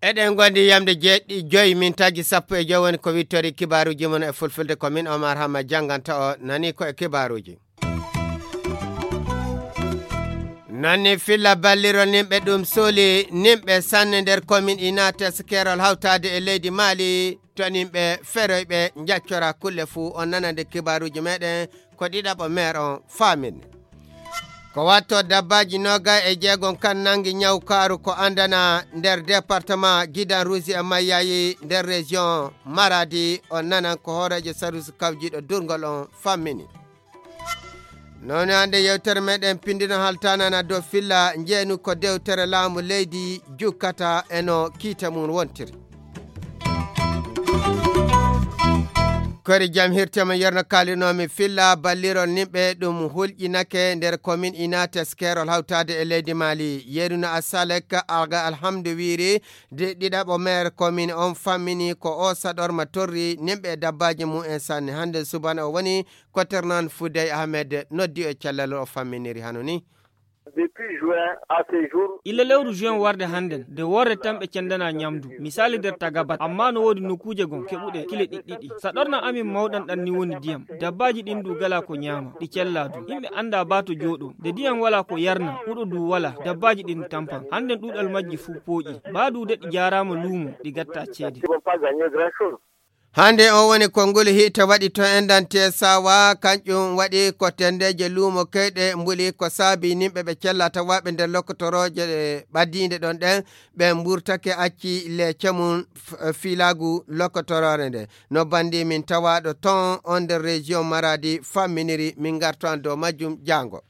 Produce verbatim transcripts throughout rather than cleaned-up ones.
Eɗen gondi yamde jeeɗi joyi min tagi sappo e joyi woni ko wittori kibaaruji mon e fulfulde, ko min Omar Hamma jannganta o nani ko e kibaaruji. Nani filla ballirol nimɓe ɗum soli nimɓe sanne nder komin inates kerol hawtade e leydi Mali, to nimɓe feroyɓe jaccora kulle fuu. On nanande kibaaruji meɗen ko ɗiɗaɓo meer on faamini. Ko watto dabbaji noga e jeegom kan nangi ñawkaaru ko andana nder département Gidan Rouge e Mayyayi nder région Maradi. On nanan ko hooreejo sarusi kawjiɗo durngol on fammini. Noon hannde yewtere meɗen pindino haltanana dow filla njeenu ko dewtere laamu leydi jukkata e no kiite mum wontiri. Kori jam hirtema yerno kalinomi filla ballirol nimɓe ɗum hulƴinake nder komin inates kerol hawtade e leydi Mali. Yeruna Asalek Alga Alhamdu wiiri de ɗiɗaɓo maire komin on fammini ko o saɗorma torri nimɓe e dabbaji mum en sanne. Hannde subana o woni ko Ternan Foudey Ahmed noddi e cellal o famminiri hano ni. Depuis juin à ce jour. Illa lewru juin warde hannden, de worre tan ɓe cendana ñamdu. Misali nder Tagabat, amma no woodi nokuuje gon keɓuɗe kile ɗiɗɗiɗi. Saɗorna amin mawɗan ɗan ni woni diyam. Dabbaaji ɗin du gala ko ñaama, ɗi cella du. Yimɓe annda ba to jooɗo. De diyam wala ko yarna, huɗo du wala, dabbaaji ɗin tampan. Hannden ɗuuɗal majji fuu pooƴi. Ba du de ɗi jaaraama luumo, ɗi gatta ceede. Hannde on woni konngol hiite waɗi to enɗan T S A wa, kanƴum waɗi ko tenndeeje luumo keyɗe mbuli ko saabi nimɓe ɓe cella tawaaɓe nder lokkotorooje ɓadiinde ɗon ɗen, ɓe mburtake acci leece mum f-, fiilaagu lokkotoroore nde. No banndi min tawaaɗo ton on nder région Maradi famminiri, min ngarto an dow majjum jaango.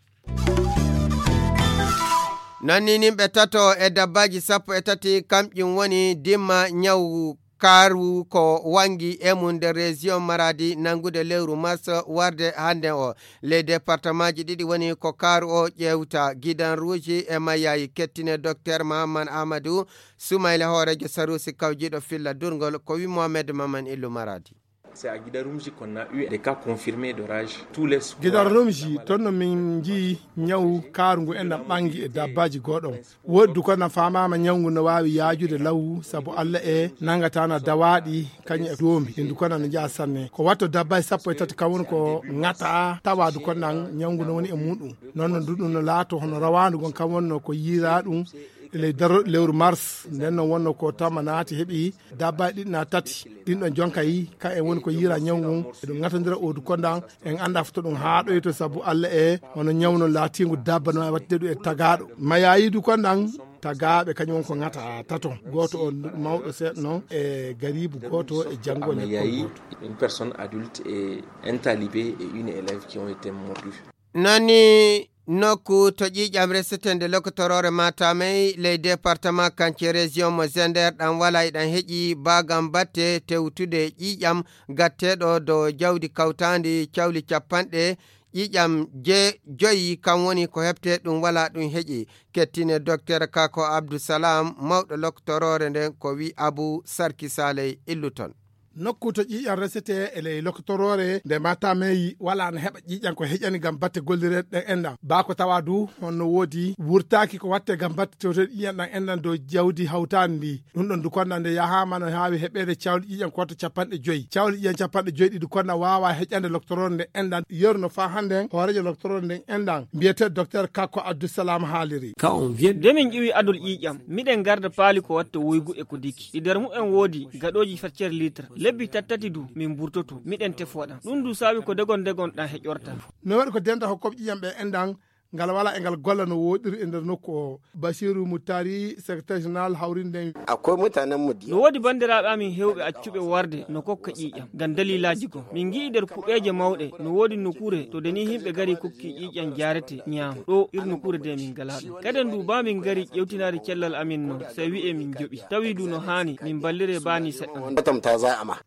Nanni nimɓe tato e dabbaaji sappo e tati kamƴum woni dimma ñawu kaaru ko wangi e mum nder région Maradi nanngude lewru mars warde hannde o. Ley départemaaji ɗiɗi woni ko kaaru o ƴeewta, Gidan Rouge e Mayayi. Kettine Docteur Mahamman Amadou Soumaïla, hooreejo sarusi kawjiiɗo filla durngol, ko wi Mohamed Maman Illu Maradi. C'est à Gidan Rouge qu'on a eu des cas confirmés de rage. Tous les soirs, Gidan Rumji, toon no min njii ñawu kaaru ngu enɗan ɓangi e dabbaaji gooɗon. Woodi du ko enɗan faamaama ñawu ngu no waawi yaajude law, sabu Alla e nangataana dawaaɗi kañum e doombi. Ɗin du ko enɗan no njaha sanne. Ko watto dabbaaji sappo e tati kam woni ko ŋata, tawa du ko enɗan ñawu ngu no woni e muɗum. Noon no du ɗum no laato hono rawaandu ngon kam wonno ko yiiraa ɗum e ley daro lewru mars. Nden non wonno ko tama naati heɓi dabbaaji ɗiɗi na tati. Ɗin ɗon jonka yi, ka en woni ko yiira ñawu ngun. Eɗum ŋatondira o du kondan, en annda fof to ɗum haaɗoyto sabu Alla e hono ñawu no laatiingu dabba no waɗde ɗum e tagaaɗo. Mayayi du kondan, tagaaɓe kañum won ko ŋata tato. Gooto o mawɗo seeɗa non e garibu gooto e janngo lekkol gooto. Une personne adulte et un talibé et une élève qui ont été mordus. Nani nokku to ƴiiƴam resete nde lokotoroore Matamey ley département Kance région mo Zender ɗan wala e ɗan heƴi baagam batte tewtude ƴiiƴam gatteeɗo dow jawdi kawtaandi cawli capanɗe ƴiiƴam je-, joyi, kam woni ko heɓte ɗum wala ɗum heƴi. Kettine Docteur Kako Abdussalam, mawɗo lokotoroore nden, ko wi Abu Sarki Saley Illuton. Nokku to ƴiiƴam resete e ley lokotoroore nde Matamey wala na heɓa ƴiiƴam ko heƴani ngam batte gollireeɗe ɗen enɗan. Baa ko tawa du honno woodi wurtaaki ko watte ngam batte tewteeɗe ƴiiƴam ɗan enɗan dow jawdi hawtaandi ndi. Ɗum ɗon du konda nde yahaama no haawi heɓeede cawle ƴiiƴam ko watta capanɗe joyi. Cawle ƴiiƴam capanɗe joyi ɗi du konda waawa heƴande lokotoroore nde enɗan. Yeru no faa hannden hooreejo lokotoroore nden enɗan mbiyeteeɗo Docteur Kako Abdussalam haaliri. Quand on vient de min ƴiwi adol ƴiiƴam, miɗen garda paali ko watta woygu e ko diki. Ɗi nder mumen woodi gaɗooji feccere litre. Lebbi tattati du, min mburtoto, miɗen tefoɗan. Ɗum du saabi ko degon degon ɗan heƴorta. No waɗi ko denda hokkoɓe ƴiiƴam ɓe enɗan, ngal wala e ngal golla no woɗiri e nder nokku o. Basiru Muttari, secrétaire général hawrinde. Akwai mutanen mu da yawa. No woodi banndiraaɓe amin heewɓe accuɓe warde no kokka ƴiiƴam ngam dalilaaji goo. Min ngi'i nder kuɓeeje mawɗe no woodi nokuure to de ni himɓe gari kokki ƴiiƴam jaarete ñaama. Ɗo ir nokuure de min ngalaa ɗum. Kaden du baa min ngari ƴewtinaade cellal amin non, sey wi'e min njoɓi. Tawi du no haani min mballiree baa ni seɗɗa. Wanda tamta za a ma.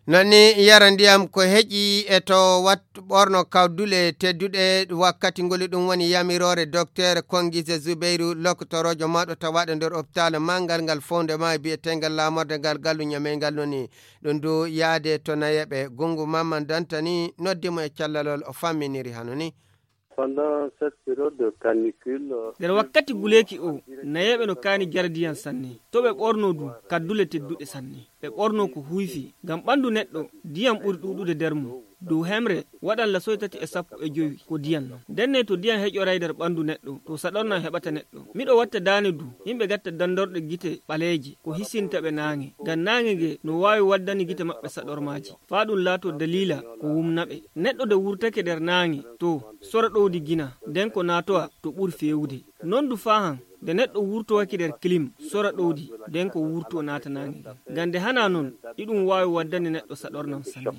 Noon ni yara ndiyam ko heƴi e to wat ɓorno kawdule tedduɗe. Wakkati ngol ɗum woni yamiroore dokteer Kongise Zubeyru, lokotoroojo mawɗo tawaaɗo nder opitaal manngal ngal fowndema e biyeteengal laamorde ngal gallu ñameyngal. Noon ni ɗum du yaade to nayeɓe. Gungu Mamman Dantani noddi mo e callalol, o famminiri hano ni. Pendant cette période de canicule, nder wakkati guleeki o, nayeeɓe no kaani jardiyan sanne. To ɓe ɓorno du kaddule tedduɗe sanne. Ɓe ɓorno ko huyfi ngam ɓanndu neɗɗo, diyan ɓuri ɗuuɗude nder mum. Dow hemre waɗan lasoy tati e sappo e jowi ko diyan non. Ndenne to diyan heƴoray nder ɓanndu neɗɗo, to saɗornan heɓata neɗɗo. Miɗo watta daane du, yimɓe gatta dandorɗe gite ɓaleeje, ko hisinta ɓe naange. Ngam naange nge no waawi waddani gite maɓɓe saɗormaaji, faa ɗum laato daliila ko wumna ɓe. Neɗɗo de wurtake nder naange, to sora ɗowdi gina, nden ko naatowa to ɓuri feewude. Non du faa han, nde neɗɗo wurtowaki nder kilim, sora ɗowdi, nden ko wurto naata naange ngen. Ngam nde hanaa non, iɗum waawi waddani neɗɗo saɗornan sanne.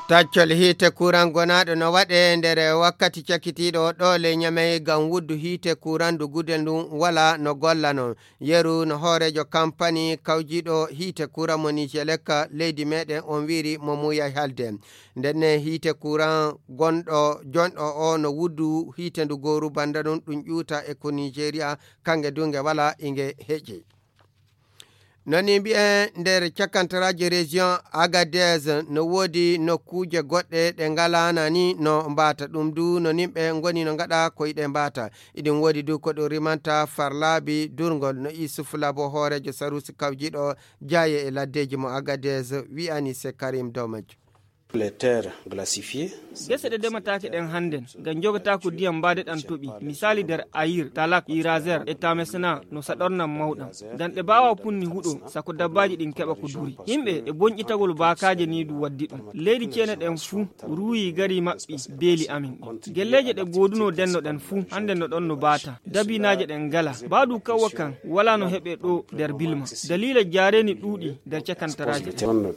Taccol hiite kuran gonaaɗo no waɗe nder wakkati cakitiiɗo o ɗo ley Ñamey ngam wuddu hiite kuran ndu gudel ndun wala no golla non. Yeru no hooreejo kampani kawjiiɗo hiite kuran mo Nijelek leydi meɗen on wiiri mo muuyay halde. Ndenne hiite kuran gonɗo jonɗo o no wuddu hiite ndu gooru banda ɗum ɗum ƴuuta e ko Nigeria kange du nge wala inge heƴe. Noni mbi'en nder cakantaraaji région Agadez no woodi nokkuuje goɗɗe ɗe ngalaana ni no mbaata. Ɗum du no nimɓe ngoni no ngaɗa ko yiɗe mbaata. Iɗum woodi du ko ɗum rimanta farlaabi durngol no Isuf Labo hooreejo sarusi kawjiiɗo jaaye e laddeeji mo Agadez wi'ani se Karim Domaj. Les terres glacifiées. Gese ɗe demataake ɗen hannden ngam jogataa ko diyam mbaade ɗan toɓi, misaali nder Ayir, Talak, Irazer e Tamesna no saɗornan mawɗam. Ngam ɗe baawaa punni huɗo sako dabbaaji ɗin keɓa ko duri. Yimɓe e bonƴitagol baakaaje nii ɗum waddi ɗum. Leydi ceene ɗen fuu ruuyi gari maɓɓi beeli amin ɗin. Gelleeje ɗe goodunoo denno ɗen fuu hannden no ɗon no baata. Dabinaaje ɗen ngala. Baadu kawwa kan walaa no heɓee ɗoo nder Bilma. Daliila jaareeni ɗuuɗi nder cakantaraaje.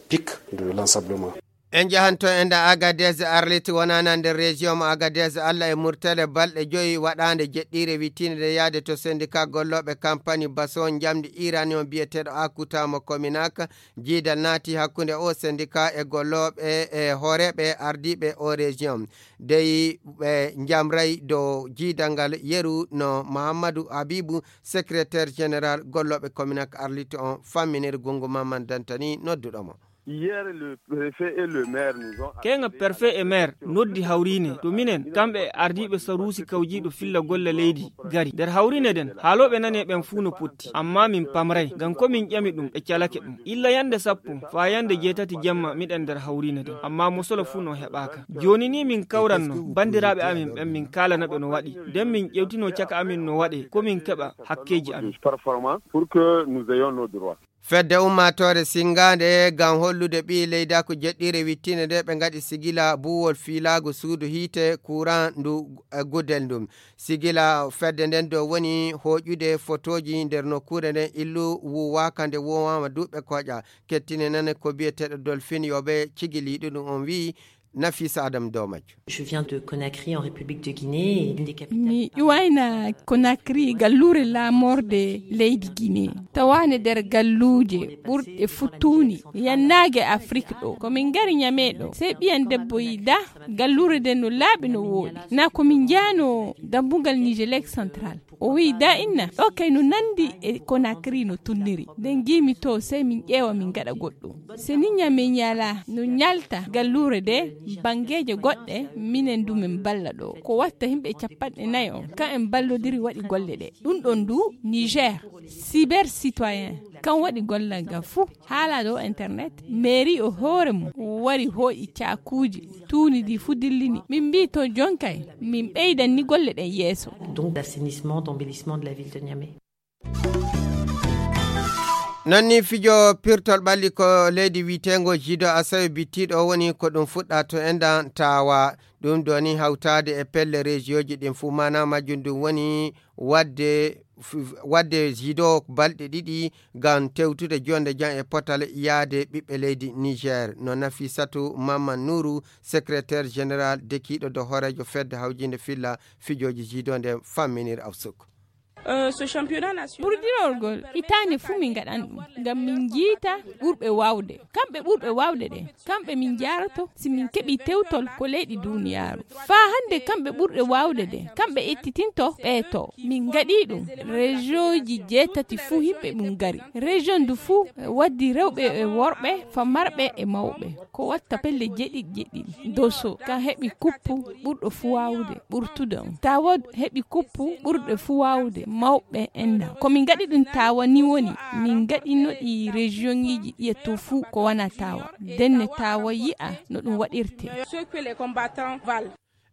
Pic de l'ensablement. En njahanto e nder Agadez, Arlit wonana nder région mo Agadez, Alla e Murtele balɗe joyi waɗaande jeɗɗiire wittiinde nde yaade to syndicat gollooɓe kampani baso njamndi Iran on biyeteeɗo Akuta mo Kominak. Jiidal naati hakkunde o syndicat e gollooɓe e hooreeɓe ardiiɓe o région. Dey ɓe njamray dow jiidal ngal yeru no Muhammadu Habibu, secrétaire général gollooɓe Kominak Arlit on famminir Gungu Mamman Dantani nodduɗo mo. Hier, le préfet et le maire nous ont Keŋa perfe e maire noddi hawriine to minen, kamɓe e ardiiɓe saruusi kawjiiɗo filla golle leydi gari. Nder hawriine nden, haalooɓe nani e ɓen fuu no potti, ammaa min pamray, ngam ko min ƴami ɗum, ɓe calake ɗum. Illa yande sappo faa yande jeetati jemma miɗen nder hawriine nden, ammaa mosolo fuu no heɓaaka. Jooni nii min kawranno banndiraaɓe amin ɓen, min kaalana ɓe no waɗi, nden min ƴewtino caka amin no waɗe, ko min keɓa hakkeeji amin. Performant pour que nous ayons nos droits. Fedde ummaatoore sinngaande ngam hollude ɓii leydaaku jeɗɗiire wittiinde nde ɓe ngaɗi sigila buuwol fiilaagu suudu hiite kuuran ndu e gudel ndun. Sigila fedde nden dow woni hooƴude fotooji nder nokkuure nden illu wuuwaaka nde wuuwaama duuɓe kooƴa. Kettine nane ko biyeteeɗo Dolphin Yobe cigiliiɗo ɗum on wi'i Nafisa Adam Domajo. Je viens de Conakry en République de Guinée, une des capitales. Mi iwayna Conakry, galluure laamorde leydi Guinée. Tawaande nder galluuje ɓurɗe fuu tuuni, yannaage Afrik ɗo. Ko min ngari Ñame ɗo. Sey ɓiyan debbo yi da, galluure nden no laaɓi no wooɗi. Na ko min njaano dambugal Nijelek Central. O wi'i da inna, ɗo kay no nandi e Conakry no tunniri. Nden ngiimi to sey min ƴeewa min ngaɗa goɗɗum. Se ni Ñame ñala no ñalta galluure de, banngeeje goɗɗe, minen du min balla ɗo. Ko watta yimɓe capanɗe nayi on, kan en ballodiri waɗi golle ɗe. Ɗum ɗon du, Niger, cyber citoyen, kan waɗi gollal ngal fuu. Haala dow internet, mairie o hoore mum wari hooƴi caakuuji, tuuni ɗi fuu dillini. Min mbii to jonkay, min ɓeydan ni golle ɗen yeeso. Donc d'assainissement, d'embellissement de la ville de Niamey. Non ni fijo pirtol ɓalli ko leydi wiyeteengo Jido Asawe bittiiɗo o woni ko ɗum fuɗɗa to endan tawa. Ɗum ɗo ni hawtaade e pelle rejiyooji ɗin fuu maana majjum ɗum woni waɗde f-, waɗde Jido balɗe ɗiɗi ngam tewtude jonde jam e potal yaade ɓiɓɓe leydi Niger. No Nafisatu Mamman Nuuru, secrétaire général dekiiɗo do hooreejo fedde hawjinde filla fijooji Jido nde famminir Awsuk. Ɓurdinorgol hitaande fuu min ngaɗan ɗum, ngam min njiita ɓurɓe waawde. Kamɓe ɓurɓe waawde ɗe, kamɓe min njaaroto si min keɓii tewtol ko leyɗi duniyaaru. Faa hannde kamɓe ɓurɓe waawde ɗe, kamɓe ettitinto ɓee to. Min ngaɗii ɗum, rejiyonji jeetati fuu yimɓe mum ngari. Rejiyon ndu fuu waddi rewɓe e worɓe, famarɓe e mawɓe. Ko watta pelle jeɗiɗi jeɗiɗi. Doso, kan heɓi kuppu ɓurɗo fuu waawde, ɓurtude on. Tawa heɓi kuppu ɓurɗo fuu waawde, mawɓe enna. Ko min ngaɗi ɗum Tawa ni woni, min ngaɗino ɗi rejiyonji ɗiya to fuu ko wana Tawa. Denne Tawa yi'a no ɗum waɗirte.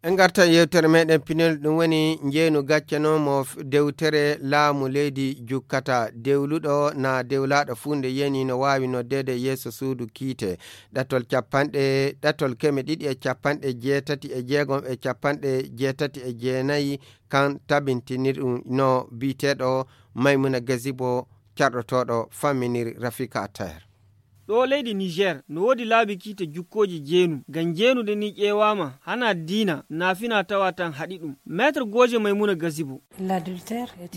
En ngartan yewtere meɗen pinel, ɗum woni njeenu gacce no mo f-, dewtere laamu leydi jukkata. Dewluɗo na dewlaaɗo fuu nde yani no waawi noddeede yeeso suudu kiite. Ɗatol capanɗe, ɗatol keme ɗiɗi e capanɗe jeetati e jeegom e capanɗe jeetati e jeenayi, kan tabintini ɗum no biyeteeɗo Maymuna Gazibo, carɗotooɗo famminiri Rafika Attaher. Ɗo leydi Niger, no woodi laabi kiite jukkooji jeenu. Ngam jeenude ni ƴeewaama, hana diina, na fina tawa tan haɗi ɗum. Maître Goje Maymuna Gazibo.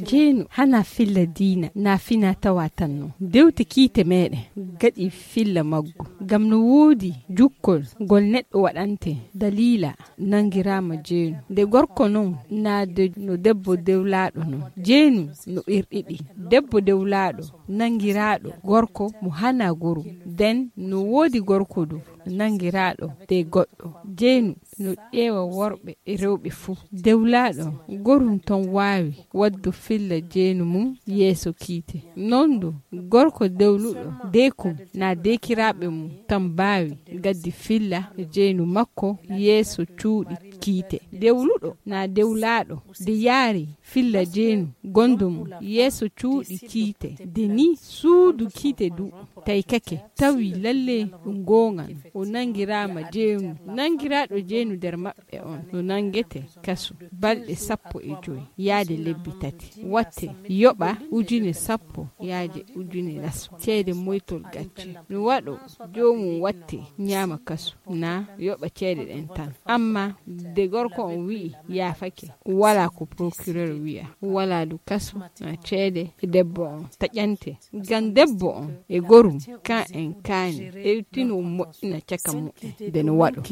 Jeenu hana filla diina, na fina tawa tan no. Dewte kiite meɗen gaɗi filla maggu. Ngam no woodi jukkol ngol neɗɗo waɗante daliila nangiraama jeenu. Nde gorko non, na de no debbo dewlaaɗo non. Jeenu no ɓerɗiɗi. Debbo dewlaaɗo nangiraaɗo gorko mo hana gorum. Den no woodi gorko du nangiraaɗo de goɗɗo. Jeenu no ƴeewa worɓe e rewɓe fuu. Dewlaaɗo gorum ton waawi waddu filla jeenu mum yeeso kiite. Non du gorko dewluɗo deekum na deekiraaɓe mum tan baawi gaddi filla jeenu makko yeeso cuuɗi kiite. Dewluɗo na dewlaaɗo de yaari filla jeenu gondo mum yeeso cuuɗi kiite, de ni suudu kiite du taykake, tawi lalle ɗum goonga no. O nangiraama jeenu. Nangiraaɗo jeenu nder maɓɓe on no nangete kasu balɗe sappo e joy yaade lebbi tati. Watte yoɓa ujune sappo yaade ujune laso. Ceede moytol gacce. No waɗo joomum watte ñaama kasu, na yoɓa ceede ɗen tan. Amma de gorko on wi'i yaafake, wala ko procureur wi'a, wala du kasu, na ceede e debbo on taƴante. Ngam debbo on e gorum, kan en kaani, ewtino moƴƴina caka mu'en, de no waɗo.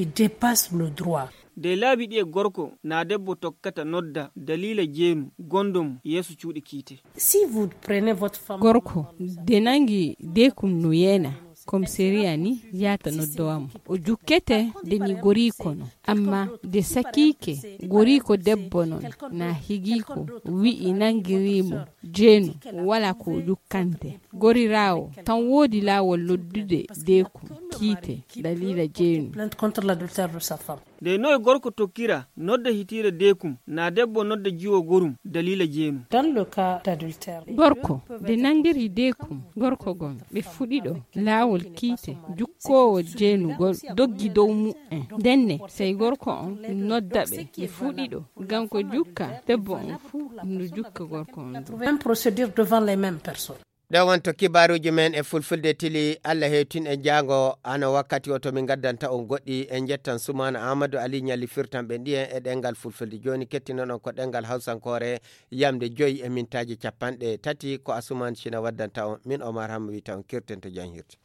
De laabi ɗi e gorko na debbo tokkata nodda daliila jeenu gondo mum yeeso cuuɗi kiite. Si vous prenez votre femme. Gorko, de nangi deekum no yeena, komisariya ni yaata noddowa mo. O jukkete de ni goriiko no. Amma de sakiike goriiko debbo non, na higiiko wi'i nangiri mo jeenu, wala ko o jukkante. Goriraawo tan woodi laawol noddude deekum kiite daliila jeenu. Plainte contre l'adultère de sa femme. De noy gorko tokkira nodda hitiire deekum, na debbo nodda jiwo gorum daliila jeenu. Dans le cas d'adultère, gorko de nangiri deekum gorko gon, ɓe fuɗiɗo laawol kiite, jukkoowo jeenugol doggi dow mu'en. Ndenne, sey gorko on nodda ɓe, ɓe fuɗiɗo, ngam ko jukka debbo on fuu no jukka gorko on du. Même procédure devant les mêmes personnes. Ɗo wonto kibaaruuji men e fulfulde tili. Allah hewtin en jaango, hano wakkati o to min ngaddanta on goɗɗi. En njettan Sumaana Amadou Ali Ñalli firtan ɓe ɗiyen e ɗemngal fulfulde. Jooni kettinon on ko ɗemngal hawsankoore, yamde joyi e mintaaji capanɗe tati. Ko Asumaan Cina waddanta on, min Omar Hamma wiyta on, kirten to jam hirti.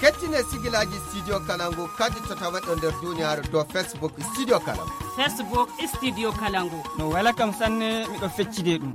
Kettine sigilaaji Studio Kalangu kadi to tawaɗo nder duniyaaru dow Facebook Studio Kalangu. Facebook Studio Kalangu. No wela kam sanne, miɗo feccide ɗum.